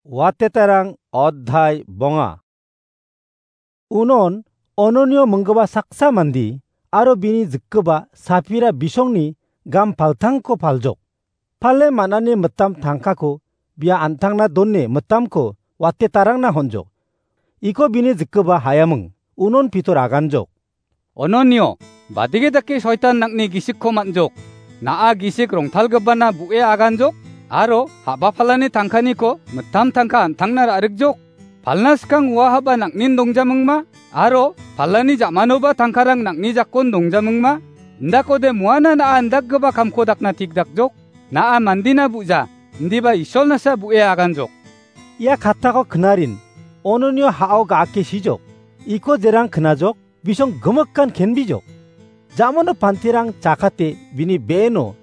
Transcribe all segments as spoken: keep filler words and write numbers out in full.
Watetarang odhai bonga. Unon Ononio minggipa saksa mande aro bini jikgipa Sapira bisongni gam paltangko paljok. Pale man·ani mitam tangkako bia an·tangna done mitamko watetarangna honjok. Iko bini jikgipa hayaming, unon Pitor aganjok. Ononio, badege dake soitan nang·ni gisikko man·jok. Na·a gisik rongtalgipana bu·e aganjok, aro ha·ba palani tangkaniko mitam tangka an·tangna ra·rikjok. Palna skang ua ha·ba nang·nin dongjamingma, aro palani ja·manoba tangkarang nang·ni jakon dongjamingma, indakode muana na·a indakgipa kamko dakna tikdakjok. Na·a mandina bu·ja, indiba Isolnasa bu·e aganjok. Ia katako knarin, Ononio ha·o ga·ake sijok. Iko jerang knajok, bisong gimikan kenbijok. Jamano pantirang chakate bini be·eno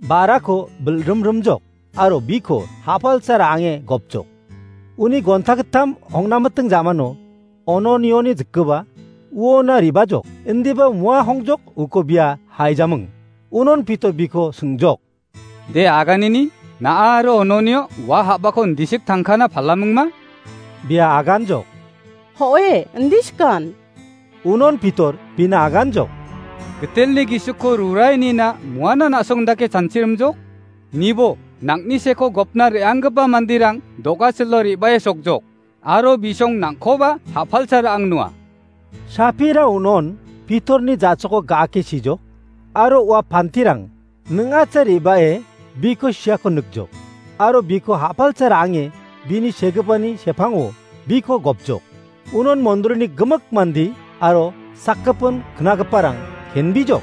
ba·rako bilrimrimjok, aro biko ha·palsa ra·ange gopjok. Uni gonta gittam hongnamiting jamano Ononioni jikgipa uona ribajok, indiba mua hongjok uko bia haijaming. Unon Pitor biko singjok. De aganini, na·a aro Ononio ua ha·bako indisik tangkana palamingma? Bia aganjok. Ho·e, indisikan. Unon Pitor bina aganjok. Gitelni gisikko rurainina muana na·song dake chanchirimjok? Nibo, nang·ni seko gopna re·anggipa manderang do·gasilo re·bae sokjok. Aro bisong nang·koba ha·palsa ra·angnua. Sapira unon Pitorni ja·choko ga·ake sijok, aro ua pantirang ning·acha re·bae biko siako nikjok, aro biko ha·palsa ra·ange bini segipani sepango biko gopjok. Unon mondrini gimik mande aro sakgipin knagiparang kenbijok.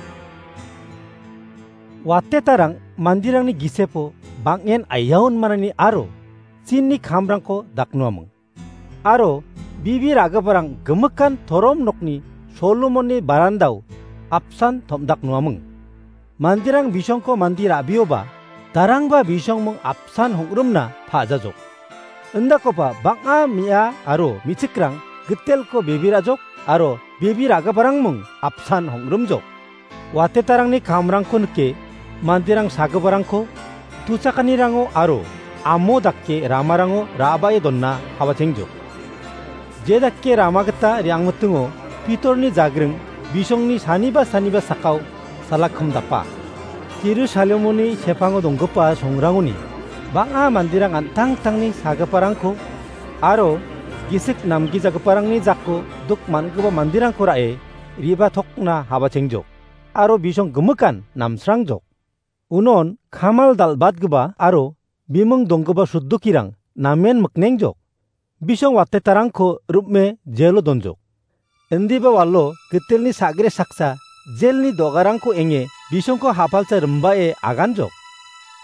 Watetarang manderangni gisepo bang·en aiaon manani aro sinni kamrangko daknoaming. Aro bibi ra·giparang gimikan torom nokni Solomonni barandao apsan tom·daknoaming. Manderang bisongko mande ra·bioba, darangba bisongming apsan hong·rimna pa·jajok. Indakoba bang·a me·a aro me·chikrang gitelko bebe ra·jok aro bebe ra·giparangming apsan hong·rimjok. Watetarangni kamrangko nike manderang sagiparangko tuchakanirango aro amo dake ramarango ra·bae donna habachengjok. Je dake rama gita re·angmitingo Pitorni jagring bisongni saniba saniba sakao salakimdapa. Jerusalemoni sepango donggipa songrangoni bang·a manderang an·tangtangni sagiparangko aro gisik namgijagiparangni jako duk man·gipa manderangko ra·e re·batokna habachengjok, aro bisong gimikan namsrangjok. Unon kamal dal·batgipa aro biming donggipa sudukirang namen miknengjok. Bisong watetarangko rim·e jelo donjok. Indiba walo gitelni sagre saksa jelni dogarangko enge bisongko ha·palsa rimbae aganjok.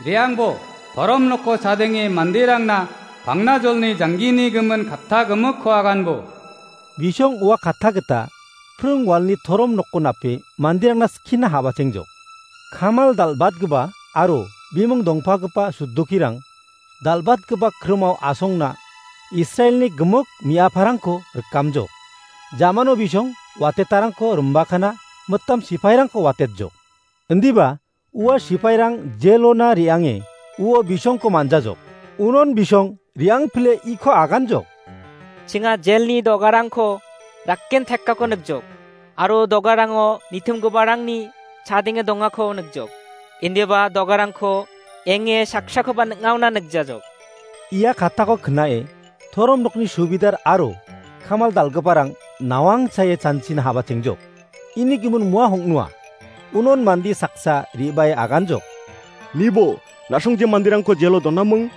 Re·angbo, torom noko chadenge manderangna pangna jolni janggini gimin katta gimikko aganbo. Bisong ua katta gita pring walni torom nokko nape manderangna skina habachengjok. Kamal dal·batgipa aro biming dongpagipa sudukirang dal·batgipa krimao asongna Israelni gimik me·aparangko rikamjok. Jamano bisong watetarangko rimbakana mitam sipairangko watetjok. Indiba ua sipairang jelona re·ange uo bisongko manjajok. Unon bisong re·angpile iko aganjok. Chinga jelni dogarangko rakken tekkako nikjok, aro dogarango nitimgiparangni chadenge dongako nikjok. Indiba dogarangko enge saksakoba ning·aona nikjajok. Ia katako knae torom nokni subidar aro kamal dal·giparang nawang chae chanchina habachengjok. Ini gimin mua hong·noa. Unon mande saksa re·bae aganjok. Nibo, na·songje manderangko jelo donaming,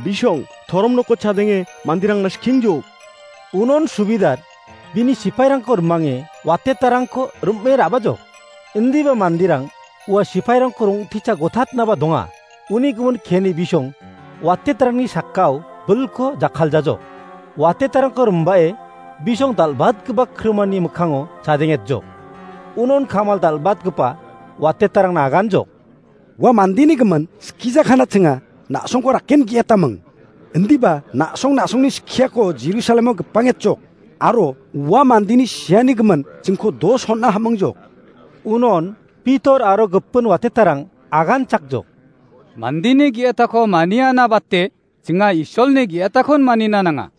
bisong torom noko chadenge manderangna skiengjok. Unon subidar bini sipairangko rimange watetarangko rim·e ra·bajok. Indiba manderang ua sipairangko rong·techa gotatnaba donga. Uni gimin keni bisong watetarangni sakao bilko jakkaljajok. Watetarangko rimbae bisong dal·batgipa krimani mikkango chadengetjok. Unon kamal dal·batgipa watetarangna aganjok. Ua mandeni gimin skijakana chinga na·songko rakken ge·etaming. Indiba na·song na·songni skiako Jerusalemo gipangetjok. Aro ua mandeni siani gimin chingko dos hon·a hamingjok. Unon Pitor aro gipin watetarang aganchakjok. Mandeni ge·etako maniana bate Chinga Isolni ge·atakon manina nanga.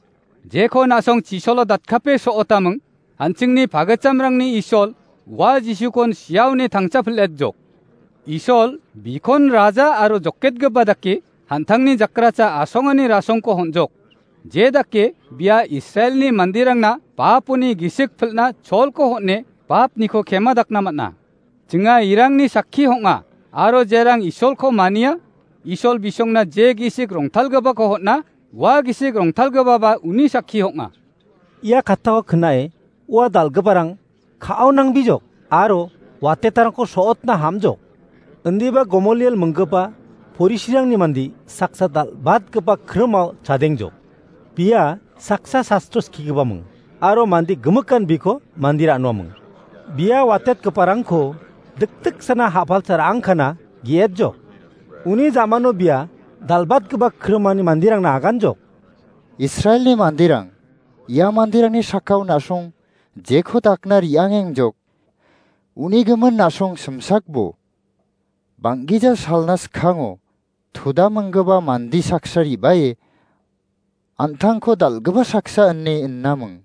Jeko na·song chisolo datkape so·otaming, an·chingni pagitchamrangni Isol, ua Jisukon siaoni tangchapil·etjok. Isol, bikon raja aro joketgipa dake, an·tangni jakracha asongani rasongko hon·jok. Je dake, bia Israelni manderangna baponi gisik pilna cholko hon·e, bapniko kemadakna man·a. Chinga irangni sakki hong·a, aro jerang Isolko mania, Isol bisongna je gisik rongtalgipako hon·a, ua gisik rongtalgipaba uni sakki hong·a. Ia kattako knae ua dal·giparang ka·ao nangbijok aro watetarangko so·otna hamjok. Indiba Gomoliel minggipa Porisirangni mande saksa dal·batgipa krimao chadengjok. Bia saksa sastro skigipaming aro mande gimikan biko mande ra·noaming. Bia watetgiparangko dikdiksana ha·palcha ra·angkana ge·etjok. Uni ja·mano bia dal·batgipa krimani manderangna aganjok. Israelni manderang, ia manderangni sakao na·song jeko dakna re·angengjok. Uni gimin na·song simsakbo. Bang·gija salna skkango toda minggipa mande saksa re·bae an·tangko dal·gipa saksa ine innaming.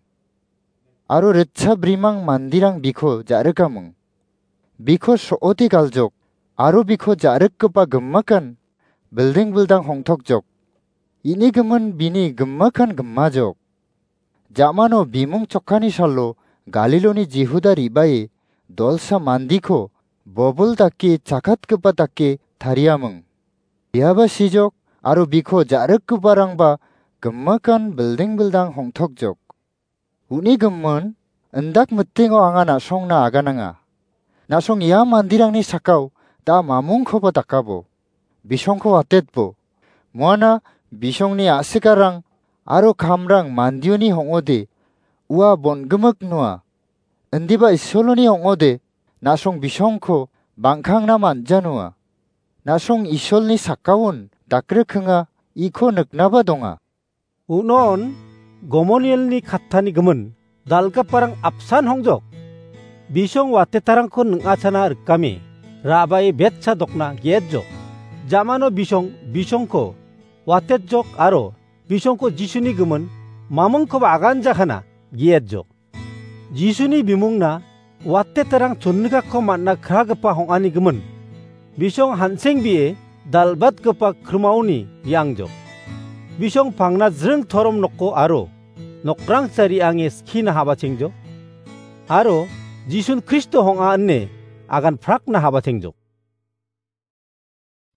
Aro ritcha brimang manderang biko ja·rikaming. Biko so·ode galjok, aro biko ja·rikgipa gimikan bilding bildang hongtokjok. Ini gimin bini gimikan gimajok. Ja·mano bimung chokkani salo Galiloni Jihuda re·bae dolsa mandiko bobol dake chakatgipa dake tariaming. Biaba sijok aro biko ja·rikgiparangba gimikan bilding bildang hongtokjok. Uni gimin, indak mitingo anga na·songna agananga. Na·song ia manderangni sakao da mamungkoba dakabo. Bisongko watetbo. Moana bisongni a·sikarang aro kamrang mandioni hong·ode ua bon·gimik noa. Indiba Isoloni hong·ode na·song bisongko bang·kangna man·janoa. Na·song Isolni sakkaon dakrikinga iko niknaba donga. Unon Gomonielni kattani gimin dal·giparang apsan hongjok. Bisong watetarangko ning·achana rikame, ra·bae betsa dokna ge·etjok. Ja·mano bisong, bisongko watetjok aro bisongko Jisuni gimin mamingkoba aganjakana ge·etjok. Jisuni bimungna watetarang chonnikako man·na kragipa hong·ani gimin. Bisong hansengbie dal·batgipa krimaoni re·angjok. Bisong pangna jring torom noko aro nokrangsa re·ange skina habachengjok. Aro Jisun Kristo hong·a ine agan prakna habachengjok.